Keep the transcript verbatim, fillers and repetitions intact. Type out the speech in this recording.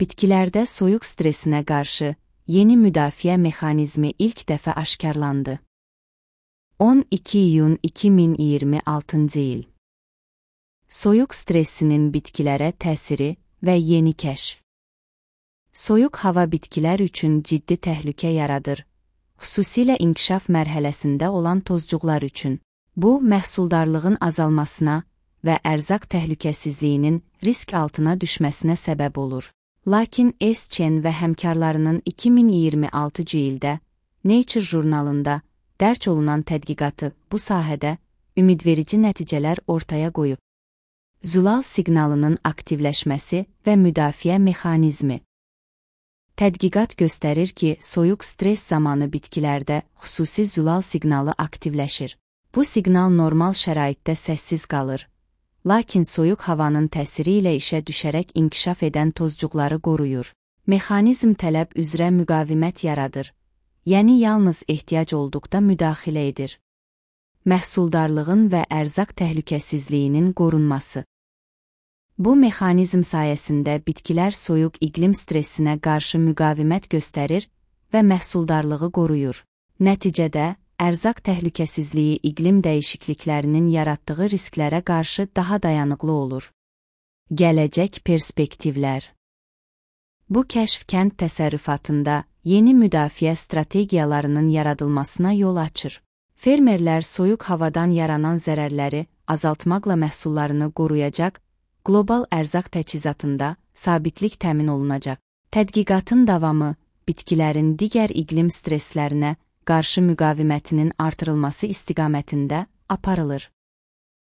Bitkilərdə soyuq stresinə qarşı yeni müdafiə mexanizmi ilk dəfə aşkarlandı. on iki iyun iki min iyirmi altıncı il. Soyuq stressinin bitkilərə təsiri və yeni kəşf. Soyuq hava bitkilər üçün ciddi təhlükə yaradır, xüsusilə inkişaf mərhələsində olan tozcuqlar üçün. Bu, məhsuldarlığın azalmasına və ərzaq təhlükəsizliyinin risk altına düşməsinə səbəb olur. Lakin S. Chen və həmkarlarının iki min iyirmi altıncı ildə Nature jurnalında dərc olunan tədqiqatı bu sahədə ümidverici nəticələr ortaya qoyub. Zulal siqnalının aktivləşməsi və müdafiə mexanizmi. Tədqiqat göstərir ki, soyuq stres zamanı bitkilərdə xüsusi zulal siqnalı aktivləşir. Bu siqnal normal şəraitdə səssiz qalır, lakin soyuq havanın təsiri ilə işə düşərək inkişaf edən tozcuqları qoruyur. Mexanizm tələb üzrə müqavimət yaradır, yəni yalnız ehtiyac olduqda müdaxilə edir. Məhsuldarlığın və ərzaq təhlükəsizliyinin qorunması. Bu mexanizm sayəsində bitkilər soyuq iqlim stressinə qarşı müqavimət göstərir və məhsuldarlığı qoruyur. Nəticədə, ərzaq təhlükəsizliyi iqlim dəyişikliklərinin yaratdığı risklərə qarşı daha dayanıqlı olur. Gələcək perspektivlər. Bu kəşf kənd təsərrüfatında yeni müdafiə strategiyalarının yaradılmasına yol açır. Fermerlər soyuq havadan yaranan zərərləri azaltmaqla məhsullarını qoruyacaq, qlobal ərzaq təchizatında sabitlik təmin olunacaq. Tədqiqatın davamı bitkilərin digər iqlim stresslərinə qarşı müqavimətinin artırılması istiqamətində aparılır.